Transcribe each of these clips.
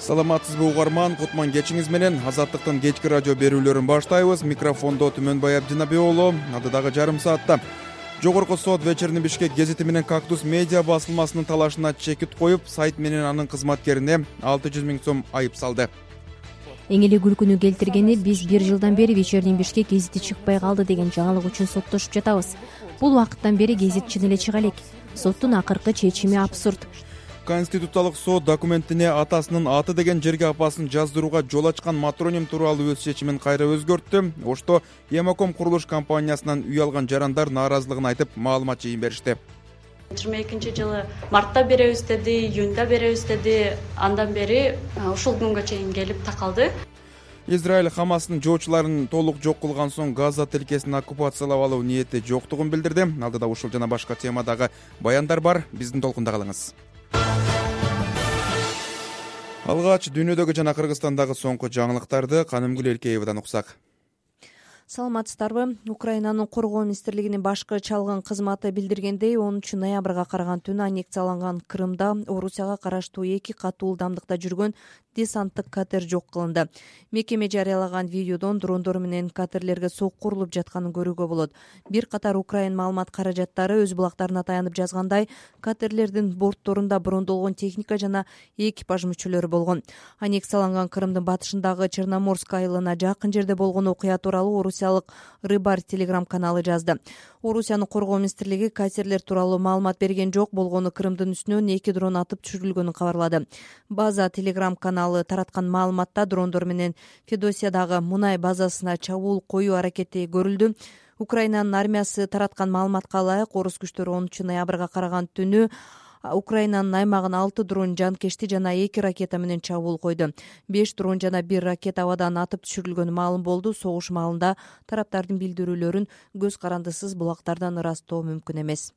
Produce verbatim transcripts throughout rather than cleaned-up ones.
Саламатсызбы угарман, кутман кечиңиз менен Азаттыктын кечки радио берүүлөрүн баштайбыз. Микрофондо Түмөнбай Абдинабек уулу. Надыдагы жарым саатта Жогорку сот Вечерний Бишкек гезити менен Кактус медиа басылмасынын талашына чекит коюп, сайт менен анын кызматкерине алты жүз миң сом айып салды. Эң эле күлкүнү келтиргени, биз бир жылдан бери Вечерний Бишкек гезити чыкпай калды деген жаңылык үчүн соттошуп жатабыз. Бул убакыттан бери гезит чын эле чыга элек. Соттун акыркы чечими абсурд. Конституциялык сот документине атасынын аты деген жерге апасын жаздырууга жол ачкан матроним тууралуу өз чечимин кайра өзгөрттү. Ошто Емаком курулуш компаниясынан үй алган жарандар нааразылыгын айтып, маалымат жыйын беришти. жыйырма экинчи жылы мартта беребиз деди, июнда беребиз деди. Андан бери ушул күнгө чейин келип такалды. Израиль Хамастын жоочуларын толук жок кылган соң Газа тилкесин оккупациялап алуу ниети жоктугун билдирди. Алдыда ушул жана башка темадагы баяндар бар. Биздин толкунда калыңыз. Алгач дүйнөдөгү жана Кыргызстандагы соңку жаңылыктарды Канымгүл Элкеевадан уксак. Саламатсыздарбы? Украинанын коргоо министрлигинин башкы чалгын кызматы билдиргендей, онунчу ноябрга караган түнү аннексияланган Крымда Орусияга караштуу эки катуу ылдамдыкта жүргөн десанттык катер жок кылынды. Мекеме жарыялаган видеодон дрондор менен катерлерге сокку урулуп жатканын көрүүгө болот. Бир катар Украин маалымат каражаттары өз булактарына таянып жазгандай, катерлердин бортторунда брондолгон техника жана экипаж мүчөлөрү болгон. Аннексияланган Крымдын батышындагы Черноморск айылына жакын жерде болгон окуя тууралуу орусиялык Рыбарь телеграм каналы жазды. Орусиянын коргоо министрлиги катерлер тууралуу маалымат берген жок, болгону Крымдын үстүнөн эки дрон атып түшүрүлгөнүн кабарлады. База телеграм каналы тараткан маалыматта дрондор менен Федосиядагы мунай базасына чабуул коюу аракети көрүлдү. Украинанын армиясы тараткан маалыматка ылайык, орус күчтөрү онунчу ноябрга караган түнү Украинанын аймагына алты дрон жанкечти жана эки ракета менен чабуул койду. беш дрон жана бир ракета абадан атып түшүрүлгөнү маалым болду. Согуш маалында тараптардын билдирүүлөрүн көз карандысыз булактардан ырастоо мүмкүн эмес.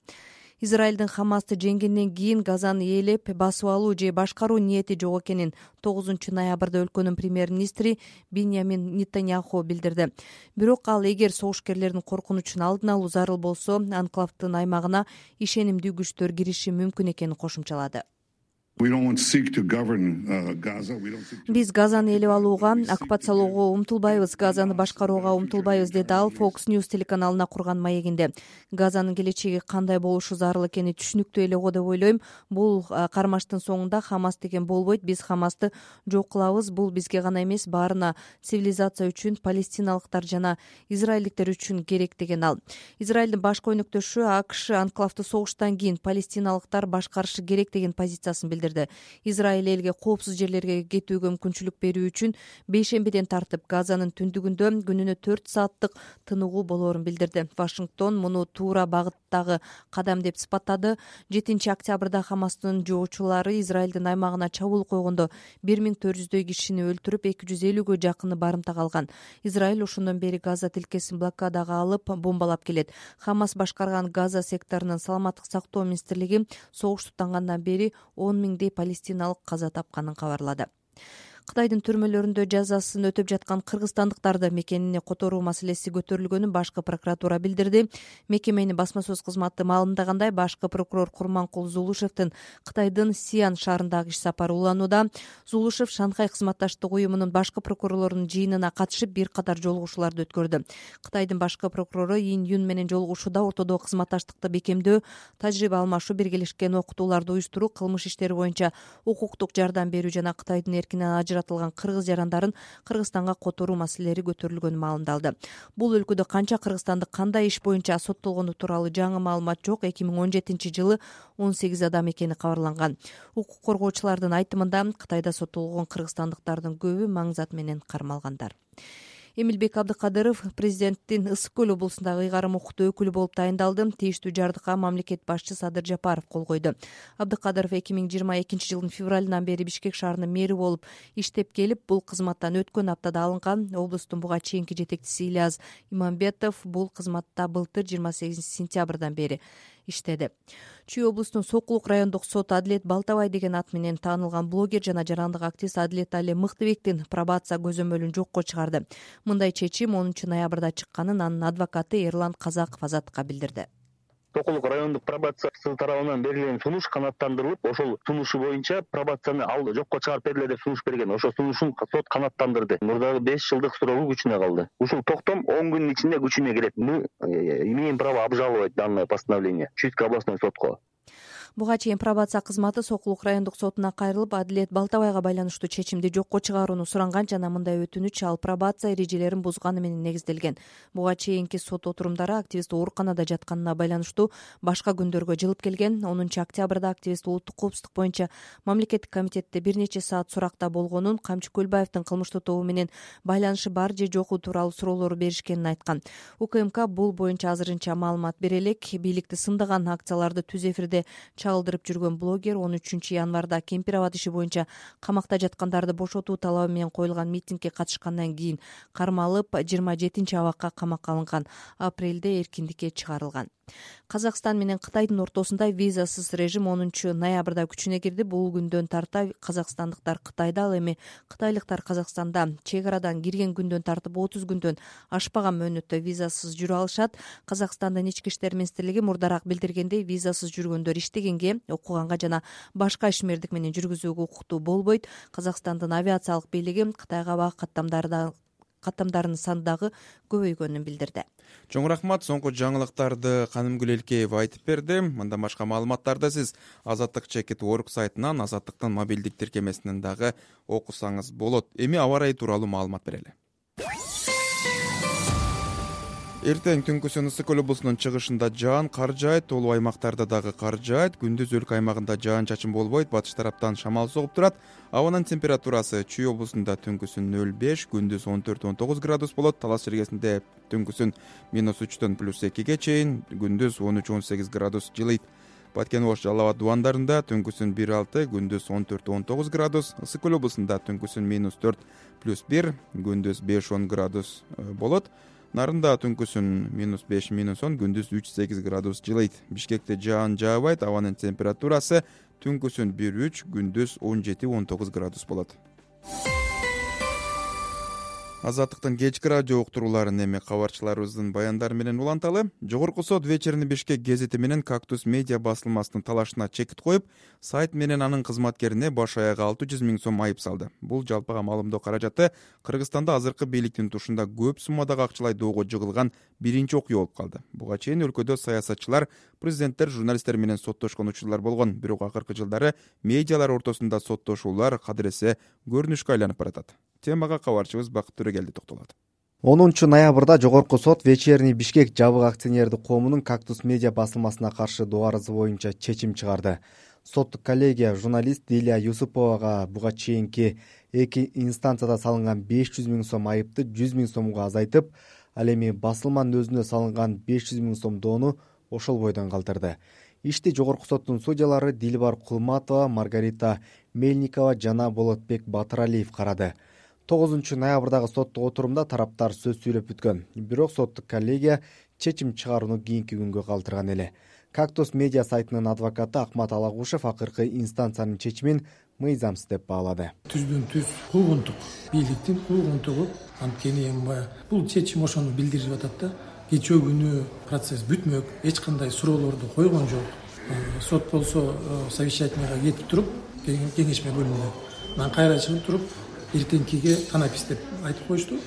Израилдин Хамасты жеңгенден кийин Газаны ээлеп басып алуу же башкаруу ниети жок экенин тогузунчу ноябрда өлкөнүн премьер-министри Биньямин Нетаньяху билдирди. Бирок ал эгер согушкерлердин коркунучун алдын алуу зарыл болсо, анклавдын аймагына ишенимдүү күчтөр кириши мүмкүн экенин кошумчалады. Биз Газаны ээлеп алууга, оккупациялоого умтулбайбыз, Газаны башкарууга умтулбайбыз, деди ал Fox News телеканалына курган маегинде. Газанын келечеги кандай болушу зарыл экени түшүнүктүү эле го деп ойлойм. Бул кармаштын соңунда Хамас деген болбойт. Биз Хамасты жок кылабыз. Бул бизге гана эмес, баарына, цивилизация үчүн, палестиналыктар жана израилдиктер үчүн керек, деген ал. Израилдин башкы өнөктөшү АКШ анклавды согуштан кийин палестиналыктар башкарышы керек деген позициясын билдирди. Израиль элге коопсуз жерлерге кетүүгө мүмкүнчүлүк берүү үчүн бейшембиден тартып Газанын түндүгүндө күнүнө төрт сааттык тыныгуу болоорун билдирди. Вашингтон муну туура багыттагы кадам деп сыпаттады. жетинчи октябрда Хамастын жоочулары Израилдин аймагына чабуул койгондо бир миң төрт жүздөй кишини өлтүрүп, эки жүз элүүгө жакыны барымтага алган. Израиль ошондон бери Газа тилкесин блокадага алып, бомбалап келет. Хамас башкарган Газа секторунун саламаттык сактоо министрлиги согуш тутангандан бери он миңдей палестиналык каза тапканын кабарлады. Кытайдын түрмөлөрүндө жазасын өтөп жаткан кыргызстандыктарды мекенине которуу маселеси көтөрүлгөнүн башкы прокуратура билдирди. Мекеменин басма сөз кызматы маалымдагандай, башкы прокурор Курманкул Зулушевдин Кытайдын Сиан шаарындагы иш сапары уланууда. Зулушев Шанхай кызматташтык уюмунун башкы прокурорлорунун жыйынына катышып, бир катар жолугушууларды өткөрдү. Кытайдын башкы прокурору Ин Юн менен жолугушууда ортодогу кызматташтыкты бекемдөө, тажрыйба алмашуу, биргелешкен окутууларды уюштуруу, кылмыш иштери боюнча укуктук жардам берүү жана Кытайдын эркинен ажыратылган кыргыз жарандарын Кыргызстанга которуу маселелери көтөрүлгөнү маалымдалды. Бул өлкөдө канча кыргызстандык кандай иш боюнча соттолгону тууралуу жаңы маалымат жок. эки миң он жетинчи жылы он сегиз адам экени кабарланган. Укук коргоочулардын айтымында Кытайда соттолгон кыргызстандыктардын көбү маңзат менен кармалгандар. Эмилбек Абдыкадыров президенттин Ысык көл облусундагы ыйгарым укуктуу өкүлү болуп тайындалды. Тийиштүү жардыкка мамлекет башчы Садыр Жапаров кол койду. Абдыкадыров эки миң жыйырма экинчи жылдын февралынан бери Бишкек шаарынын мэри болуп иштеп келип, бул кызматтан өткөн аптада алынган. Облустун буга чейинки жетекчиси Ильяс Имамбетов бул кызматта былтыр жыйырма сегизинчи сентябрдан бери иштеди. Чүй облустунун Сокулук райондук сот Адилет Балтабай деген ат менен таанылган блогер жана жарандык активист Адилет Али Мыктыбектин пробация көзөмөлүн жокко чыгарды. Мындай чечим онунчу ноябрда чыкканын анын адвокаты Эрлан Казаков Азаттыкка билдирди. Токулук райондук пробациясы тарабынан берилген сунуш канааттандырылып, ошол сунушу боюнча пробацияны ал жокко чыгарып бергиле деп сунуш берген. Ошол сунушун сот канааттандырды. Мурдагы беш жылдык срогу күчүнө калды. Ушул токтом он күндүн ичинде күчүнө кирет. Мы имеем право обжаловать данное постановление Чуйский областной сотко. Буга чейин пробация кызматы Сокулук райондук сотуна кайрылып, Адилет Балтабайга байланыштуу чечимди жокко чыгарууну суранган жана мындай өтүнүч ал пробация эрежелерин бузганы менен негизделген. Буга чейинки сот отурумдары активист ооруканада жатканына байланыштуу башка күндөргө жылып келген. онунчу октябрда активист улуттук коопсуздук боюнча мамлекеттик комитетте бир нече саат суракта болгонун, Камчы Көлбаевдин кылмыштуу тобу менен байланышы бар же жоку тууралуу суроолор беришкенин айткан. УКМК бул боюнча азырынча маалымат бере элек. Бийликти сындаган акцияларды түз эфирде чагылдырып жүргөн блогер он үчүнчү январда Кемпир аба иши боюнча камакта жаткандарды бошотуу талабы менен коюлган митингге катышкандан кийин кармалып, жыйырма жетинчи абакка камакка алынган. Апрелде эркиндикке чыгарылган. Казакстан менен Кытайдын ортосунда визасыз режим онунчу ноябрда күчүнө кирди. Бул күндөн тарта казакстандыктар Кытайда, ал эми кытайлыктар Казакстанда чек арадан кирген күндөн тартып отуз күндөн ашпаган мөөнөттө визасыз жүрө алышат. Казакстандын ички иштер министрлиги мурдараак билдиргендей, визасыз жүргөндөр иштегенге, окуганга жана башка ишмердик менен жүргүзүүгө укуктуу болбойт. Казакстандын авиациялык бийлиги Кытайга бак каттамдарды каттамдарынын саны дагы көбөйгөнүн билдирди. Чоң рахмат. Соңку жаңылыктарды Канымгүл Элкеева айтып берди. Мындан башка маалыматтарды сиз Азаттык чекит точка орг сайтынан, Азаттыктын мобилдик тиркемесинен дагы окусаңыз болот. Эми аба ырайы тууралуу маалымат берели. Эртең түнкүсүн Ысык Көл облусунун чыгышында жаан кар жаайт, толуу аймактарда дагы кар жаайт. Күндүз өлкө аймагында жаан-чачын болбойт, батыш тараптан шамал согуп турат. Абанын температурасы Чүй облусунда түнкүсүн нөл беш, күндүз он төрт он тогуз градус болот. Талас жергесинде түнкүсүн минус үчтөн плюс экиге чейин, күндүз он үч он сегиз градус жылыйт. Баткен Ош Жалал Абад дубандарында түнкүсүн бир алты, күндүз он төрт он тогуз градус. Ысык Көл облусунда түнкүсүн минус төрт плюс бир, күндүз беш он градус болот. Нарында түнкүсүн минус беш минус он, күндүз үч сегиз градус жылыйт. Бишкекте жаан жаабайт, абанын температурасы түнкүсүн бир үч, күндүз он жети он тогуз градус болот. Азаттыктын кечки радио уктурууларын эми кабарчыларыбыздын баяндары менен уланталы. Жогорку сот Вечерний Бишкек гезити менен Кактус медиа басылмасынын талашына чекит коюп, сайт менен анын кызматкерине баш аяга алты жүз миң сом айып салды. Бул жалпыга маалымдоо каражаты Кыргызстанда азыркы бийликтин тушунда көп суммадагы акчалай доого жыгылган биринчи окуя болуп калды. Буга чейин өлкөдө саясатчылар, президенттер, журналисттер менен соттошкон учурлар болгон. Бирок акыркы жылдары медиалар ортосунда соттошуулар кадыресе көрүнүшкө айланып баратат. Темага кабарчыбыз Бакыт Төрөгелди токтолот. онунчу ноябрда Жогорку сот Вечерний Бишкек жабык акционердик коомунун Кактус медиа басылмасына каршы доо арызы боюнча чечим чыгарды. Соттук коллегия журналист Дилия Юсуповага буга чейинки эки инстанцияда салынган беш жүз миң сом айыпты жүз миң сомго азайтып, ал эми басылманын өзүнө салынган беш жүз миң сом доону ошол бойдон калтырды. Ишти Жогорку соттун судьялары Дилбар Кулматова, Маргарита Мельникова жана Болотбек Батыралиев карады. тогузунчу ноябрдагы соттук отурумда тараптар сөз сүйлөп бүткөн. Бирок соттук коллегия чечим чыгарууну кийинки күнгө калтырган эле. Кактус медиа сайтынын адвокаты Акмат Алагушев акыркы инстанциянын чечимин мыйзамсыз деп баалады. Түздөн түз куугунтук, бийликтин куугунтугу, анткени эми бул чечим ошону билдирип атат да. Кечээ күнү процесс бүтмөк, эч кандай суроолорду койгон жок. Сот болсо совещательныйга кетип туруп, кеңешме бөлүмүнө анан кайра чыгып туруп, эртеңкиге танапис деп айтып коюшту.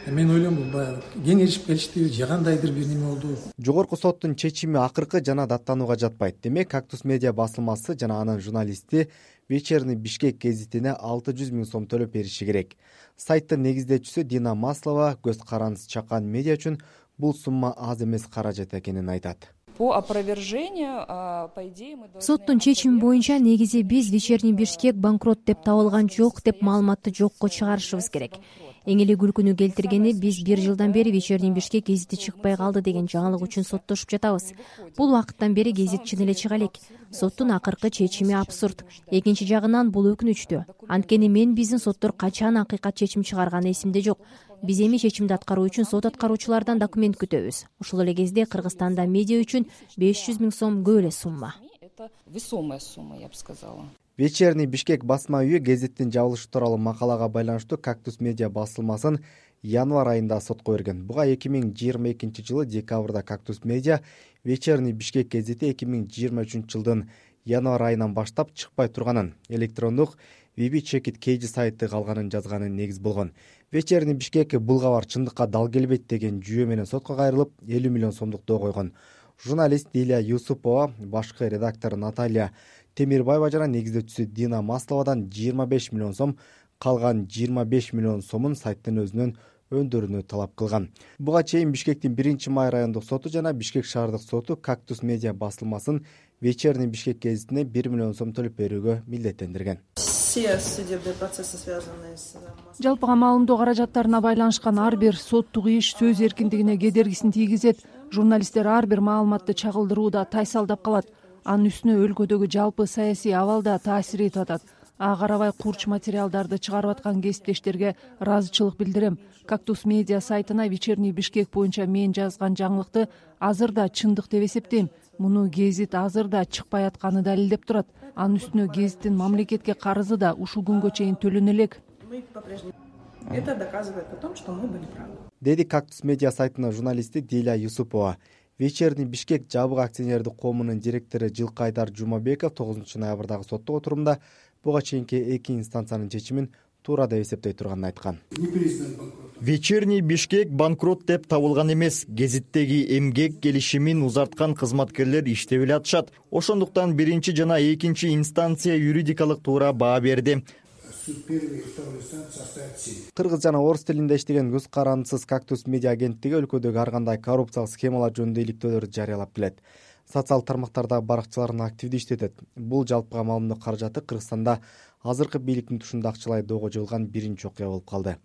Мен ойлойм бул баягы кеңешип келишти, же кандайдыр бир неме болду. Жогорку соттун чечими акыркы жана даттанууга жатпайт. Демек, Кактус медиа басылмасы жана анын журналисти Вечерний Бишкек гезитине алты жүз миң сом төлөп бериши керек. Сайттын негиздечүүсү Дина Маслова көз карандысы чакан медиа үчүн бул сумма аз эмес каражат экенин айтат. По опровержению, по идее, мы должны... Соттун чечими боюнча негизи биз Вечерний Бишкек банкрот деп табылган жок деп маалыматты жокко чыгарышыбыз керек. Эң эле күлкүнү келтиргени биз бир жылдан бери Вечерний Бишкек гезити чыкпай калды деген жаңылык үчүн соттошуп жатабыз. Бул убакыттан бери гезит чын эле чыга элек. Соттун акыркы чечими абсурд. Экинчи жагынан бул өкүнүчтүү. Анткени мен биздин соттор качан акыйкат чечим чыгарганы эсимде жок. Биз эми чечимди аткаруу үчүн сот аткаруучулардан документ күтөбүз. Ошол эле кезде Кыргызстанда медиа үчүн беш жүз миң сом көп эле сумма. Это весомая сумма, я бы сказала. Вечерний Бишкек басма үйү гезиттин жабылышы тууралуу макалага байланыштуу Кактус медиа басылмасын январь айында сотко берген. Буга эки миң жыйырма экинчи жылы декабрда Кактус Медиа Вечерний Бишкек гезити эки миң жыйырма үчүнчү жылдын январь айынан баштап чыкпай турганын, электрондук Виби Чекит Кейджи сайты калганын жазганын негиз болгон. Вечерний Бишкек бул кабар чындыкка дал келбейт деген жүйө менен сотко кайрылып, элүү миллион сомдук доо койгон. Журналист Дилия Юсупова, башкы редактор Наталья Темирбаева жана негиздөөчүсү Дина Масловадан жыйырма беш миллион сом, калган жыйырма беш миллион сомун сайттын өзүнөн өндүрүүнү талап кылган. Буга чейин Бишкектин биринчи май райондук соту жана Бишкек шаардык соту Кактус Медиа басылмасын Вечерний Бишкек гезитине бир миллион сом төлөп берүүгө милдеттендирген. Все судебные процессы, связанные с... Жалпыга маалымдоо каражаттарына байланышкан ар бир соттук иш сөз эркиндигине кедергисин тийгизет. Журналисттер ар бир маалыматты чагылдырууда тайсалдап калат. Анын үстүнө өлкөдөгү жалпы саясий абалда таасир этип атат. Ага карабай курч материалдарды чыгарып аткан кесиптештерге ыраазычылык билдирем. Кактус Медиа сайтына Вечерний Бишкек боюнча мен жазган жаңылыкты азыр да чындык деп эсептейм. Муну гезит азыр да чыкпай атканы далилдеп турат. Анын үстүнө гезиттин мамлекетке карызы да ушул күнгө чейин төлөнө элек. Это доказывает о том, что мы были правы. Деди Кактус Медиа сайтынын журналисти Дилия Юсупова. Вечерний Бишкек жабык акционердик коомунун директору Жылкайдар Жумабеков тогузунчу ноябрдагы соттук отурумда буга чейинки эки инстанциянын чечимин туура деп эсептей турганын айткан. Вечерний Бишкек банкрот деп табылган эмес. Гезиттеги эмгек келишимин узарткан кызматкерлер иштеп эле атышат. Ошондуктан биринчи жана экинчи инстанция юридикалык туура баа берди. Кыргыз жана орус тилинде иштеген көз карандысыз Кактус Медиа агенттиги өлкөдөгү ар кандай коррупциялык схемалар жөнүндө иликтөөлөрдү жарыялап келет. Социал тармактардагы баракчыларын активдүү иштетет. Бул жалпыга маалымдоо каражаты Кыргызстанда азыркы бийликтин тушунда акчалай доого жоюлган биринчи окуя болуп калды.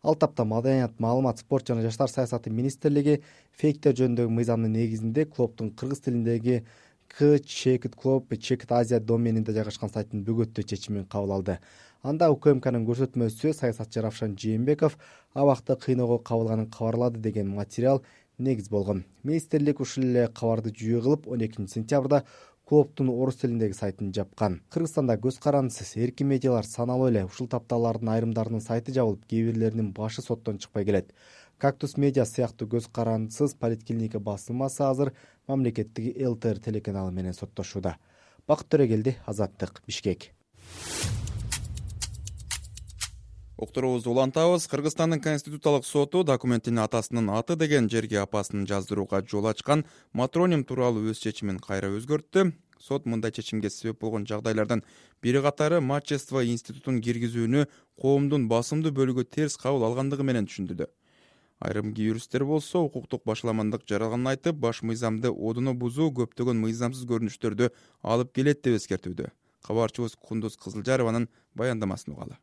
Ал тапта Маданият, маалымат, спорт жана жаштар саясаты министрлиги фейктер жөнүндөгү мыйзамдын негизинде клубдун кыргыз тилиндеги К Чекит клуб Чекит Азия доменинде жайгашкан сайттын бөгөттөө чечимин кабыл алды. Анда УКМКнын көрсөтмөсү саясатчы Равшан Жээнбеков абакта кыйноого кабылганын кабарлады деген материал негиз болгон. Министрлик ушул эле кабарды жүйө кылып он экинчи сентябрда клубдун орус тилиндеги сайтын жапкан. Кыргызстанда көз карандысыз эркин медиалар саналуу эле. Ушул тапталардын айрымдарынын сайты жабылып, кээ бирлеринин башы соттон чыкпай келет. Кактус Медиа сыяктуу көз карандысыз Политклиника басылмасы азыр мамлекеттик Эл Тэ Эр телеканалы менен соттошууда. Бакыт Төрөгелди, Азаттык, Бишкек. Окторубузду улантабыз. Кыргызстандын Конституциялык соту документтин атасынын аты деген жерге апасын жаздырууга жол ачкан матроним тууралуу өз чечимин кайра өзгөрттү. Сот мындай чечимге себеп болгон жагдайлардын бири катары мачество институтун киргизүүнү коомдун басымдуу бөлүгү терс кабыл алгандыгы менен түшүндүрдү. Айрым юристтер болсо укуктук башаламандык жаралганын айтып, баш мыйзамды одуно бузуу көптөгөн мыйзамсыз көрүнүштөрдү алып келет деп эскертүүдө. Кабарчыбыз Кундуз Кызылжарованын баяндамасын угалы.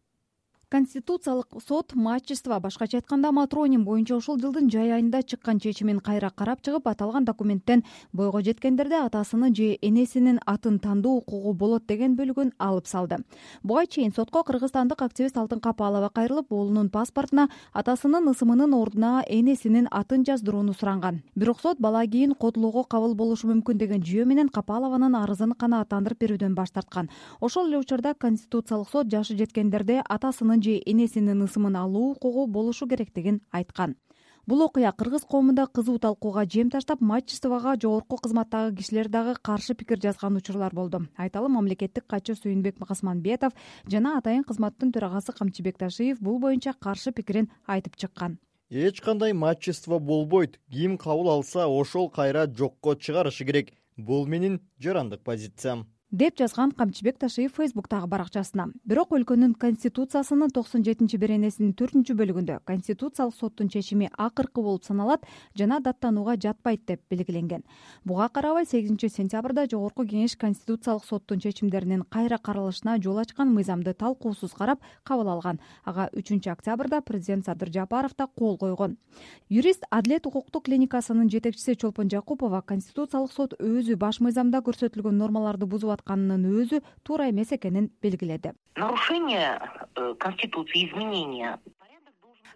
Конституциялык сот мачество, башкача айтканда матроним боюнча ушул жылдын жай айында чыккан чечимин кайра карап чыгып, аталган документтен бойго жеткендерде атасынын же энесинин атын тандоо укугу болот деген бөлүгүн алып салды. Буга чейин сотко кыргызстандык активист Алтын Капалова кайрылып, уулунун паспортуна атасынын ысымынын ордуна энесинин атын жаздырууну суранган. Бирок сот бала кийин котулууга кабыл болушу мүмкүн деген жүйө менен Капалованын арызын канааттандырып берүүдөн баш тарткан. Ошол эле учурда Конституциялык сот жашы жеткендерде атасынын же энесинин ысымын алуу укугу болушу керектигин айткан. Бул окуя кыргыз коомунда кызуу талкууга жем таштап, мачествого жогорку кызматтагы кишилер дагы каршы пикир жазган учурлар болду. Айталы, мамлекеттик катчы Сүйүнбек Касманбетов жана атайын кызматтын төрагасы Камчыбек Ташиев бул боюнча каршы пикирин айтып чыккан. Эч кандай мачество болбойт. Ким кабыл алса, ошол кайра жокко чыгарышы керек. Бул менин жарандык позициям, деп жазган Камчыбек Ташиев Фейсбуктагы баракчасына. Бирок өлкөнүн конституциясынын токсон жетинчи беренесинин төртүнчү бөлүгүндө Конституциялык соттун чечими акыркы болуп саналат жана даттанууга жатпайт деп белгиленген. Буга карабай сегизинчи сентябрда Жогорку кеңеш Конституциялык соттун чечимдеринин кайра каралышына жол ачкан мыйзамды талкуусуз карап кабыл алган. Ага үчүнчү октябрда президент Садыр Жапаров да кол койгон. Юрист Адилет укуктук клиникасынын жетекчиси Чолпон Жакупова Конституциялык сот өзү баш мыйзамда көрсөтүлгөн нормаларды бузуп атканынын өзү туура эмес экенин белгиледи. Нарушение Конституции, изменения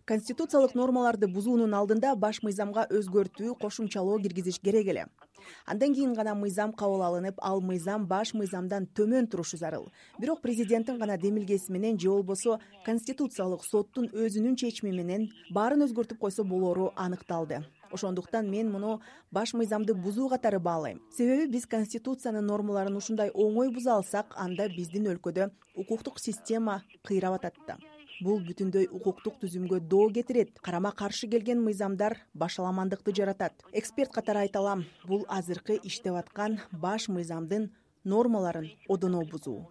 конституциялык нормаларды бузуунун алдында баш мыйзамга өзгөртүү, кошумчалоо киргизиш керек эле. Андан кийин гана мыйзам кабыл алынып, ал мыйзам баш мыйзамдан төмөн турушу зарыл. Бирок президенттин гана демилгеси менен же болбосо конституциялык соттун өзүнүн чечими менен баарын өзгөртүп койсо болору аныкталды. Ошондуктан мен муну баш мыйзамды бузуу катары баалайм. Себеби биз конституциянын нормаларын ушундай оңой буза алсак, анда биздин өлкөдө укуктук система кыйрап атат да. Бул бүтүндөй укуктук түзүмгө доо кетирет. Карама каршы келген мыйзамдар башаламандыкты жаратат. Эксперт катары айта алам, бул азыркы иштеп аткан баш мыйзамдын нормаларын одоно бузуу.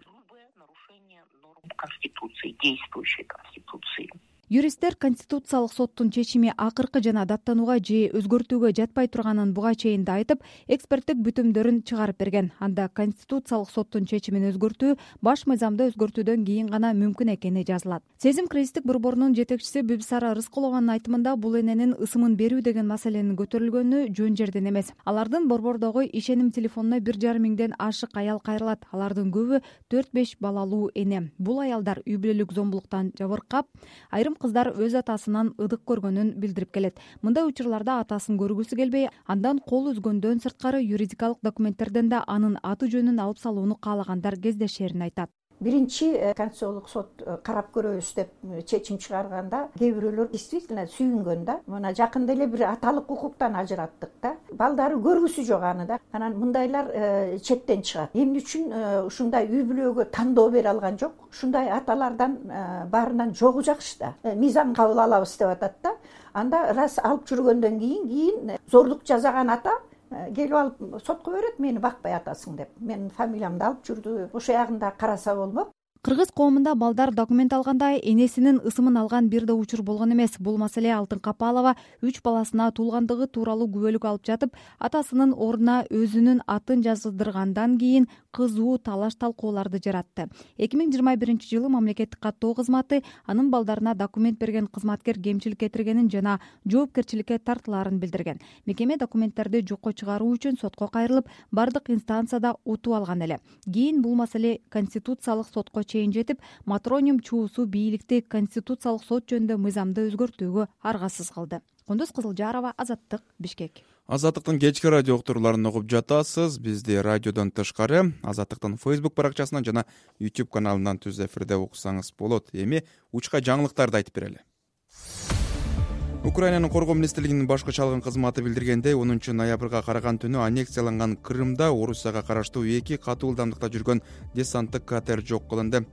Конституции, действующей конституции. Юристтер конституциялык соттун чечими акыркы жана даттанууга же өзгөртүүгө жатпай турганын буга чейин да айтып, эксперттик бүтүмдөрүн чыгарып берген. Анда конституциялык соттун чечимин өзгөртүү баш мыйзамды өзгөртүүдөн кийин гана мүмкүн экени жазылат. Сезим кризистик борборунун жетекчиси Бибисара Рыскулованын айтымында бул эненин ысымын берүү деген маселенин көтөрүлгөнү жөн жерден эмес. Алардын борбордогу ишеним телефонуна бир жарым миңден ашык аял кайрылат. Алардын көбү төрт беш балалуу эне. Бул аялдар үй бүлөлүк зомбулуктан жабыркап, айрым кыздар өз атасынан ыдык көргөнүн билдирип келет. Мындай учурларда атасын көргүсү келбей, андан кол үзгөндөн сырткары юридикалык документтерден да анын аты жөнүн алып салууну каалагандар кездешерин айтат. Биринчи конституциялык сот карап көрөбүз деп чечим чыгарганда кээ бирөөлөр действительно сүйүнгөн да. Мына жакында эле бир аталык укуктан ажыраттык да. Балдары көргүсү жок аны да. Анан мындайлар четтен чыгат. Эмне үчүн ушундай үй бүлөгө тандоо бере алган жок? Ушундай аталардан баарынан жогу жакшы да. Мыйзам кабыл алабыз деп атат да. Анда раз алып жүргөндөн кийин кийин зордук жасаган ата келип алып сотко берет, мени бакпай атасың деп. Менин фамилиямды алып жүрдү. Ошо ягында караса болмок. Кыргыз коомунда балдар документ алганда энесинин ысымын алган бир да учур болгон эмес. Бул маселе Алтын Капалова үч баласына туулгандыгы тууралуу күбөлүк алып жатып, атасынын ордуна өзүнүн атын жаздыргандан кийин кызуу талаш талкууларды жаратты. эки миң жыйырма биринчи жылы мамлекеттик каттоо кызматы анын балдарына документ берген кызматкер кемчилик кетиргенин жана жоопкерчиликке тартылаарын билдирген. Мекеме документтерди жокко чыгаруу үчүн сотко кайрылып, бардык инстанцияда утуп алган эле. Кийин бул маселе конституциялык сотко чейин жетип, Матроним чуусу бийликти конституциялык сот жөнүндө мыйзамды өзгөртүүгө аргасыз кылды. Кундуз Кызылжарова, Азаттык, Бишкек. Азаттыктын кечки радио уктурууларын угуп жатасыз. Бизди радиодон тышкары Азаттыктын Facebook баракчасынан жана YouTube каналынан түз эфирде уксаңыз болот. Эми учка жаңылыктарды айтып берели. Украинанын коргоо министрлигинин башкы чалгын кызматы билдиргендей, онунчу ноябрга караган түнү аннексияланган Крымда Орусияга караштуу эки катуу ылдамдыкта жүргөн десанттык катер жок кылынды.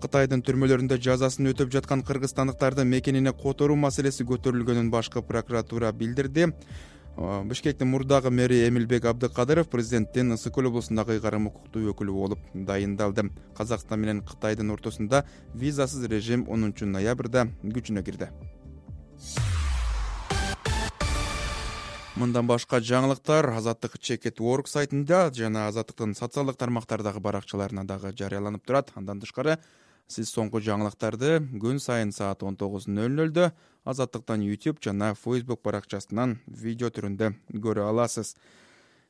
Кытайдын түрмөлөрүндө жазасын өтөп жаткан кыргызстандыктардын мекенине которуу маселеси көтөрүлгөнүн башкы прокуратура билдирди. Бишкектин мурдагы мэри Эмилбек Абдыкадыров президенттин Ысык көл облусундагы ыйгарым укуктуу өкүлү болуп дайындалды. Казакстан менен Кытайдын ортосунда визасыз режим онунчу ноябрда күчүнө кирди. Мындан башка жаңылыктар Азаттык Чекет Work сайтында жана Азаттыктын социалдык тармактардагы баракчаларына дагы жарыяланып турат. Андан тышкары сиз соңку жаңылыктарды күн сайын саат он тогуз ноль нольдо Азаттыктан YouTube жана Facebook баракчасынан видео түрүндө көрө аласыз.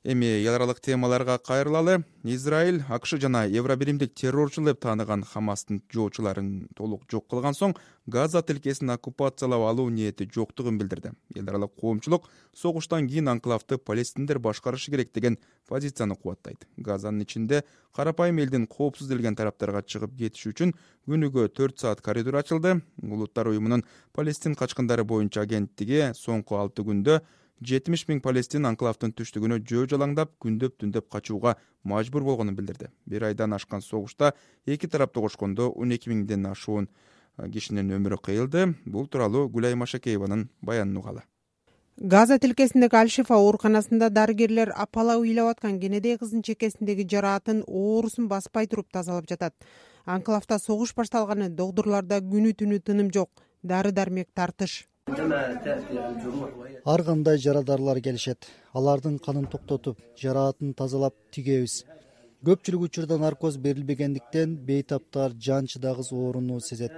Эми эл аралык темаларга кайрылалы. Израиль, АКШ жана Евробиримдик террорчу деп тааныган Хамастын жоочуларын толук жок кылган соң Газа тилкесин оккупациялап алуу ниети жоктугун билдирди. Эл аралык коомчулук согуштан кийин анклавды палестиндер башкарышы керек деген позицияны кубаттайт. Газанын ичинде карапайым элдин коопсуз делген тараптарга чыгып кетиш үчүн күнүгө төрт саат коридор ачылды. Улуттар уюмунун Палестин качкындары боюнча агенттиги соңку алты күндө жетимиш миң палестин анклавдын түштүгүнө жөө жалаңдап, күндөп түндөп качууга мажбур болгонун билдирди. Бир айдан ашкан согушта эки тарапты кошкондо он эки миңден ашуун кишинин өмүрү кыйылды. Бул тууралуу Гүлай Машакееванын баянын угалы. Газа тилкесиндеги Аль-Шифа ооруканасында дарыгерлер апала ыйлап аткан кенедей кыздын чекесиндеги жараатын оорусун баспай туруп тазалап жатат. Анклавда согуш башталганы докторлордо күнү түнү тыным жок, дары-дармек тартыш. Ар кандай жарадарлар келишет. Алардын канын токтотуп, жараатын тазалап тигебиз. Көпчүлүк учурда наркоз берилбегендиктен бейтаптар жан чыдагыс ооруну сезет.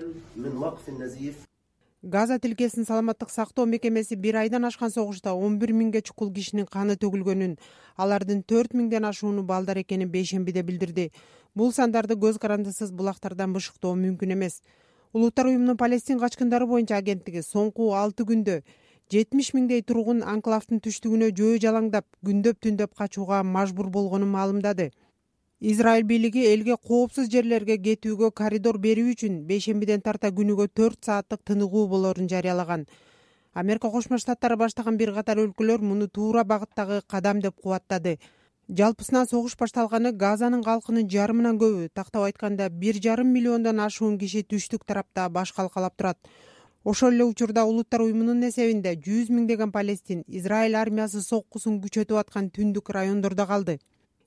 Газа тилкесинин саламаттык сактоо мекемеси бир айдан ашкан согушта он бир миңге чукул кишинин каны төгүлгөнүн, алардын төрт миңден ашууну балдар экенин бейшембиде билдирди. Бул сандарды көз карандысыз булактардан бышыктоо мүмкүн эмес. Улуттар уюмунун Палестин качкындары боюнча агенттиги соңку алты күндө жетимиш миңдей тургун анклавдын түштүгүнө жөө жалаңдап күндөп түндөп качууга мажбур болгонун маалымдады. Израиль бийлиги элге коопсуз жерлерге кетүүгө коридор берүү үчүн бейшембиден тарта күнүгө төрт сааттык тыныгуу болоорун жарыялаган. Америка Кошмо Штаттары баштаган бир катар өлкөлөр муну туура багыттагы кадам деп кубаттады. Жалпысынан согуш башталганы Газанын калкынын жарымынан көбү, тактап айтканда бир жарым миллиондон ашуун киши түштүк тарапта баш калкалап турат. Ошол эле учурда Улуттар уюмунун эсебинде жүз миңдеген Палестин Израиль армиясы соккусун күчөтүп аткан түндүк райондордо калды.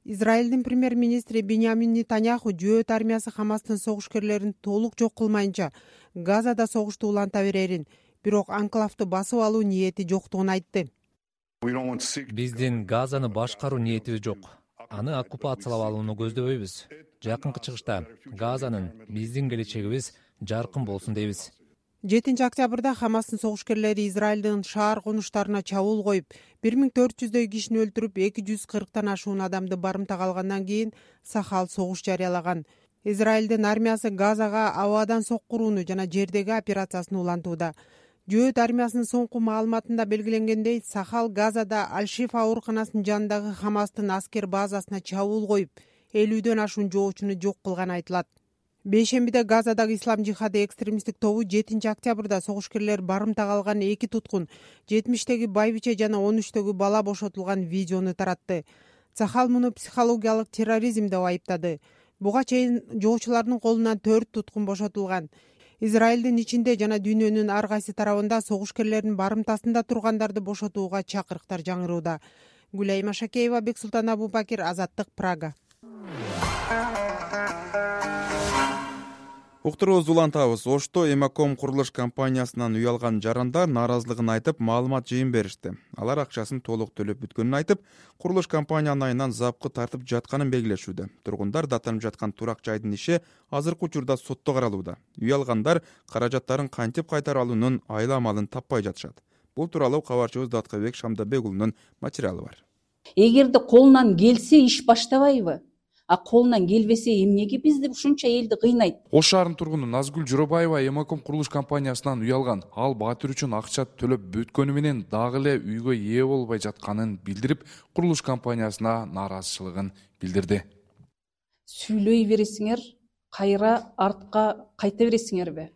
Израилдин премьер-министри Биньямин Нетаньяху жөөт армиясы Хамастын согушкерлерин толук жок кылмайынча Газада согушту уланта берерин, бирок анклавды басып алуу ниети жоктугун айтты. Биздин Газаны башкаруу ниетибиз жок. Аны оккупациялап алууну көздөбөйбүз. Жакынкы чыгышта Газанын биздин келечегибиз жаркын болсун дейбиз. жетинчи октябрда Хамастын согушкерлери Израилдин шаар конуштарына чабуул коюп, бир миң төрт жүздөй кишини өлтүрүп, эки жүз кырктан ашуун адамды барымтага алгандан кийин Сахал согуш жарыялаган. Израилдин армиясы Газага абадан соккурууну жана жердеги операциясын улантууда. Жөөт армиясынын соңку маалыматында белгиленгендей, Сахал Газада Аль-Шифа ооруканасынын жанындагы Хамастын аскер базасына чабуул коюп, элүүдөн ашуун жоочуну жок кылганы айтылат. Бейшембиде Газадагы ислам жихады экстремисттик тобу жетинчи октябрда согушкерлер барымтага алган эки туткун, жетимиштеги байбиче жана он үчтөгү бала бошотулган видеону таратты. Сахал муну психологиялык терроризм деп айыптады. Буга чейин жоочулардын колунан төрт туткун бошотулган. Израилдин ичинде жана дүйнөнүн ар кайсы тарабында согушкерлердин барымтасында тургандарды бошотууга чакырыктар жаңырууда. Гүлайма Шакеева, Бексултан Абубакир, Азаттык, Прага. Уктурубузду улантабыз. Ошто Эмаком курулуш компаниясынан үй алган жарандар нааразылыгын айтып, маалымат жыйын беришти. Алар акчасын толук төлөп бүткөнүн айтып, курулуш компаниянын айынан запкы тартып жатканын белгилешүүдө. Тургундар даттанып жаткан турак жайдын иши азыркы учурда сотто каралууда. Үй алгандар каражаттарын кантип кайтара алуунун айла амалын таппай жатышат. Бул тууралуу кабарчыбыз Даткабек Шамдабек уулунун материалы бар. Эгерде колунан келсе иш баштабайбы? А колунан келбесе эмнеге бизди ушунча элди кыйнайт? Ош шаарынын тургуну Назгүл Жоробаева Эмаком курулуш компаниясынан үй алган. Ал баатыр үчүн акча төлөп бүткөнү менен дагы эле үйгө ээ болбой жатканын билдирип, курулуш компаниясына нааразычылыгын билдирди. Сүйлөй бересиңер, кайра артка кайта бересиңерби?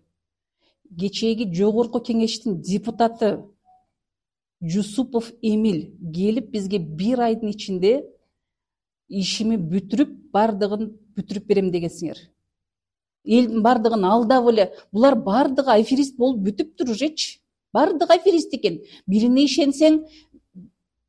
Кечээги жогорку кеңештин депутаты Жусупов Эмил келип бизге бир айдын ичинде ишими бүтүрүп, бардыгын бүтүрүп берем дегенсиңер. Элдин бардыгын алдап эле, булар бардыгы аферист болуп бүтүптүр ужечи. Бардыгы аферист экен. Бирине ишенсең,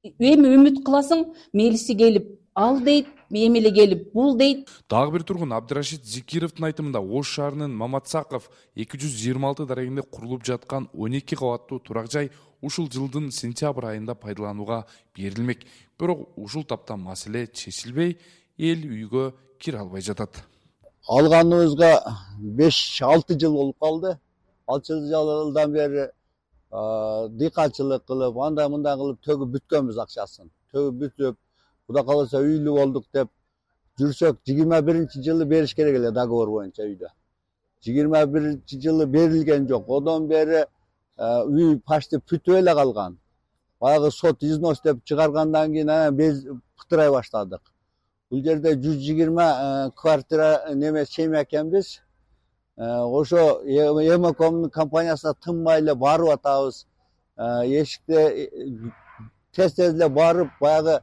эми үмүт кыласың, мелиси келип ал дейт, эми эле келип бул дейт. Дагы бир тургун Абдырашид Зикировдун айтымында Ош шаарынын Маматсаков эки жүз жыйырма алты дарегинде курулуп жаткан он эки кабаттуу турак жай ушул жылдын сентябрь айында пайдаланууга берилмек. Бирок ушул тапта маселе чечилбей, эл үйгө кире албай жатат. Алганыбызга беш алты жыл болуп калды. алты жылдан бери дыйканчылык кылып, андай мындай кылып төгүп бүткөнбүз акчасын. Төгүп бүтүп, Кудай кааласа үйлүү болдук деп жүрсөк, жыйырма биринчи жылы бериш керек эле договор боюнча үйдө. жыйырма биринчи жылы берилген жок. Одон бери үй почти бүтүп эле калган. Баягы сот износ деп чыгаргандан кийин анан биз пытырай баштадык. Бул жерде жүз жыйырма квартира неме чейме экенбиз. Ошо Эмакомдун компаниясына тынбай эле барып атабыз. Эшикте тез-тез эле барып, баягы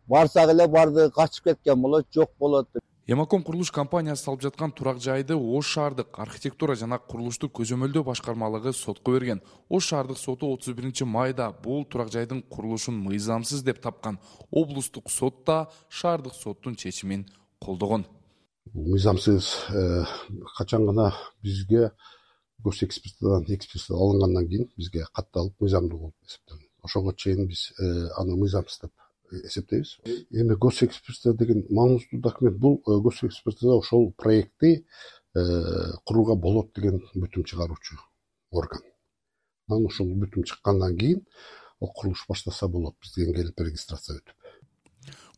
барсак эле барды качып кеткен болот, жок болот. Эмаком курулуш компаниясы салып жаткан турак жайды Ош шаардык архитектура жана курулушту көзөмөлдөө башкармалыгы сотко берген. Ош шаардык соту отуз биринчи майда бул турак жайдын курулушун мыйзамсыз деп тапкан. Облустук сот да шаардык соттун чечимин колдогон. Мыйзамсыз качан гана бизге гос экспертизадан экспертиза алынгандан кийин бизге катталып мыйзамдуу болуп эсептелген. Ошого чейин биз аны мыйзамсыз деп эсептейбиз. Эми гос экспертиза деген маңыздуу документ. Бул гос экспертиза ошол проектти курууга болот деген бүтүм чыгаруучу орган. Анан ошол бүтүм чыккандан кийин ал курулуш баштаса болот, бизге келип регистрация өтүп.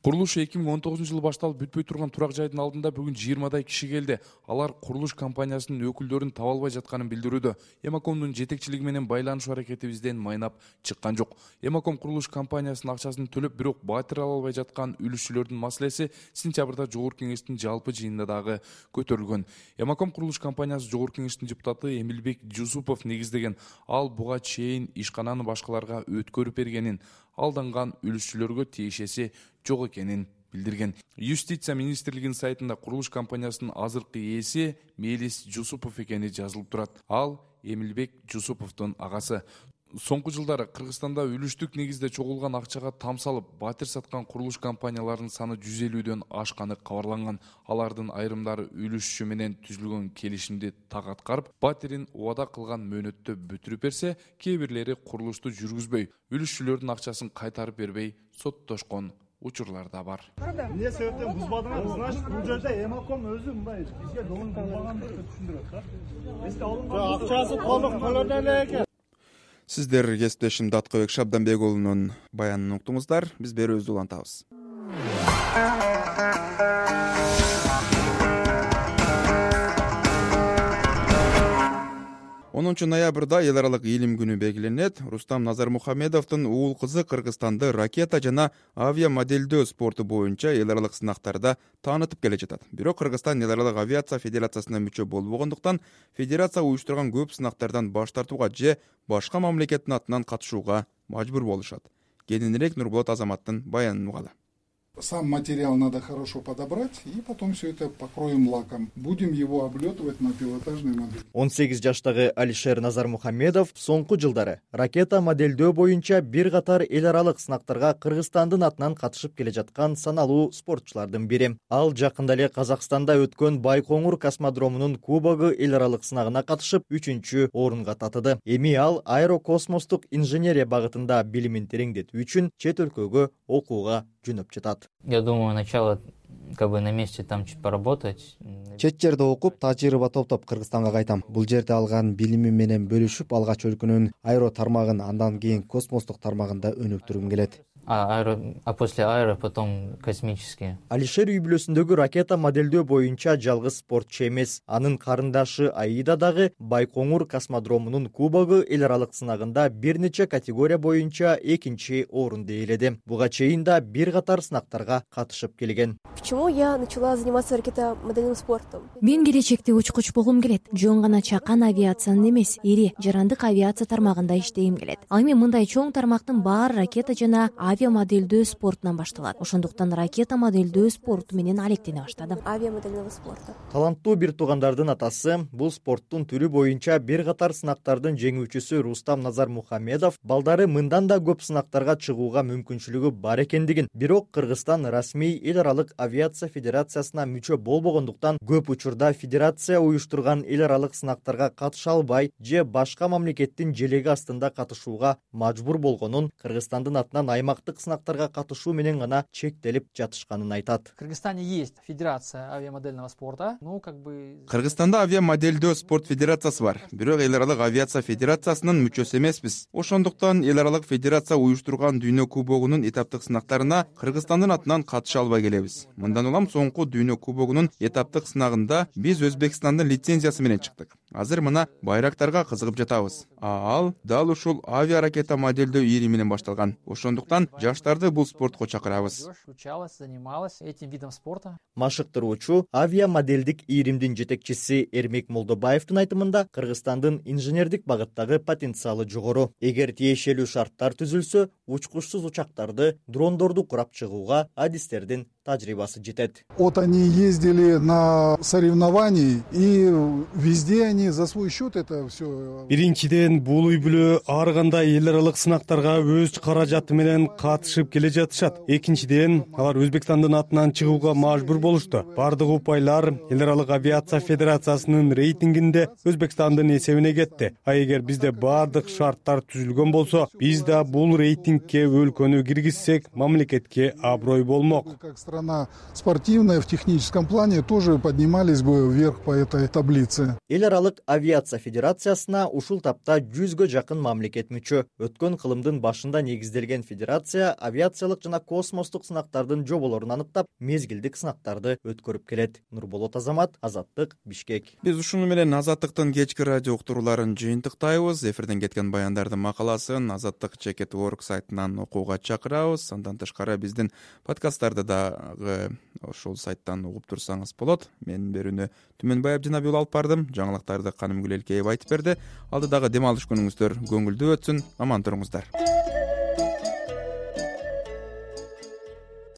Курулуш эки миң он тогузунчу жылы башталып бүтпөй турган турак жайдын алдында бүгүн жыйырмадай киши келди. Алар курулуш компаниясынын өкүлдөрүн таба албай жатканын билдирүүдө. Эмакомдун жетекчилиги менен байланышуу аракетибизден майнап чыккан жок. Эмаком курулуш компаниясынын акчасын төлөп, бирок батир ала албай жаткан үлүшчүлөрдүн маселеси сентябрда жогорку кеңештин жалпы жыйынында дагы көтөрүлгөн. Эмаком курулуш компаниясы жогорку кеңештин депутаты Эмилбек Жусупов негиздеген. Ал буга чейин ишкананы башкаларга өткөрүп бергенин, алданган үлүшчүлөргө тиешеси жок экенин билдирген. Юстиция министрлигинин сайтында курулуш компаниясынын азыркы ээси Мелис Жусупов экени жазылып турат. Ал Эмилбек Жусуповдун агасы. Соңку жылдары Кыргызстанда үлүштүк негизде чогулган акчага тамсалып, батир саткан курулуш компанияларынын саны жүз элүүдөн ашканы кабарланган. Алардын айрымдары үлүшчү менен түзүлгөн келишимди так аткарып, батирин убада кылган мөөнөттө бүтүрүп берсе, кээ бирлери курулушту жүргүзбөй, үлүшчүлөрдүн акчасын кайтарып бербей соттошкон учурлар да бар. Эмне себептен бузбадыңар? Значит, бул жерде Эмаком өзү мындай бизге долун кылбагандыкты түшүндүрөт да. Бизге алынган акчасы толук төлөнө эле экен. Сиздер кесиптешим Даткыбек Шабданбек уулунун баянын уктуңуздар. Биз берүүбүздү улантабыз. онунчу ноябрда эл аралык илим күнү белгиленет. Рустам Назармухамедовдун уул кызы Кыргызстанды ракета жана авиа моделдөө спорту боюнча эл аралык сынактарда таанытып келе жатат. Бирок Кыргызстан эл аралык авиация федерациясына мүчө болбогондуктан федерация уюштурган көп сынактардан баш тартууга же башка мамлекеттин атынан катышууга мажбур болушат. Кененирээк Нурболот Азаматтын баянын угалы. Сам материал надо хорошо подобрать, и потом все это покроем лаком. Будем его облетывать на пилотажной модели. он сегиз жаштагы Алишер Назармухамедов соңку жылдары ракета моделдөө боюнча бир катар эл аралык сынактарга Кыргызстандын атынан катышып келе жаткан саналуу спортчулардын бири. Ал жакында эле Казакстанда өткөн Байкоңур космодромунун кубогу эл аралык сынагына катышып үчүнчү орунга татыды. Эми ал аэрокосмостук инженерия багытында билимин тереңдетүү үчүн чет өлкөгө окууга жөнөп жатат. Я думаю, начало как бы на месте там чуть поработать. Чет жерде окуп, тажрыйба топтоп Кыргызстанга кайтам. Бул жерде алган билими менен бөлүшүп, алгач өлкөнүн аэро тармагын, андан кийин космостук тармагында өнүктүргүм келет. А, аэро, а после аэро потом космические. Алишер үй бүлөсүндөгү ракета моделдөө боюнча жалгыз спортчу эмес. Анын карындашы Аида дагы Байкоңур космодромунун кубогу эл аралык сынагында бир нече категория боюнча экинчи орунду ээледи. Буга чейин да бир катар сынактарга катышып келген. Почему я начала заниматься ракетомодельным спортом? Мен келечекте учкуч болгум келет. Жөн гана чакан авиациянын эмес, ири жарандык авиация тармагында иштегим келет. Ал эми мындай чоң тармактын баары ракета жана авиа моделдөө спортунан башталат. Ошондуктан ракета моделдөө спорту менен алектене баштадым. Авиа моделдөө спорту. Таланттуу бир туугандардын атасы бул спорттун түрү боюнча бир катар сынактардын жеңүүчүсү Рустам Назармухамедов балдары мындан да көп сынактарга чыгууга мүмкүнчүлүгү бар экендигин, бирок Кыргызстан расмий эл аралык авиация федерациясына мүчө болбогондуктан көп учурда федерация уюштурган эл аралык сынактарга катыша албай же башка мамлекеттин желеги астында катышууга мажбур болгонун, Кыргызстандын атынан аймактык сынактарга катышуу менен гана чектелип жатышканын айтат. В Кыргызстане есть федерация авиамодельного спорта, ну как бы Кыргызстанда авиамоделдөө спорт федерациясы бар. Бирок эл аралык авиация федерациясынын мүчөсү эмеспиз. Ошондуктан эл аралык федерация уюштурган дүйнө кубогунун этаптык сынактарына Кыргызстандын атынан катыша албай келебиз. Мындан улам соңку дүйнө кубогунун этаптык сынагында биз Өзбекстандын лицензиясы менен чыктык. Азыр мына байрактарга кызыгып жатабыз. А ал дал ушул авиа ракета моделдөө ири менен башталган. Ошондуктан жаштарды бул спортко чакырабыз. Учалась, занималась этим видом спорта. Машыктыруучу авиа моделдик ийримдин жетекчиси Эрмек Молдобаевдин айтымында Кыргызстандын инженердик багыттагы потенциалы жогору. Эгер тиешелүү шарттар түзүлсө, учкучсуз учактарды, дрондорду курап чыгууга адистердин тажрыйбасы жетет. Вот они ездили на соревнования, и везде они за свой счет это все. Биринчиден, бул үй бүлө ар кандай эл аралык сынактарга өз каражаты менен катышып келе жатышат. Экинчиден, алар Өзбекстандын атынан чыгууга мажбур болушту. Бардык упайлар эл аралык авиация федерациясынын рейтингинде Өзбекстандын эсебине кетти. А эгер бизде бардык шарттар түзүлгөн болсо, биз да бул рейтингке өлкөнү киргизсек, мамлекетке аброй болмок. Страна спортивная в техническом плане тоже поднимались бы вверх по этой таблице. Эл аралык авиация федерациясына ушул тапта жүзгө жакын мамлекет мүчө. Өткөн кылымдын башында негизделген федерация авиациялык жана космостук сынактардын жоболорун аныктап, мезгилдик сынактарды өткөрүп келет. Нурболот Азамат, Азаттык, Бишкек. Биз ушуну менен Азаттыктын кечки радио уктурууларын жыйынтыктайбыз. Эфирден кеткен баяндардын макаласын Азаттык чекет точка орг сайтынан окууга чакырабыз. Андан тышкары биздин подкасттарды дагы ошол сайттан угуп турсаңыз болот. Менин берүүнү Түмөнбай Абдинабий уулу алып бардым. Жаңылыктарды Канымгүл Элкеева айтып берди. Алдыдагы дем алыш күнүңүздөр көңүлдүү өтсүн. Аман туруңуздар.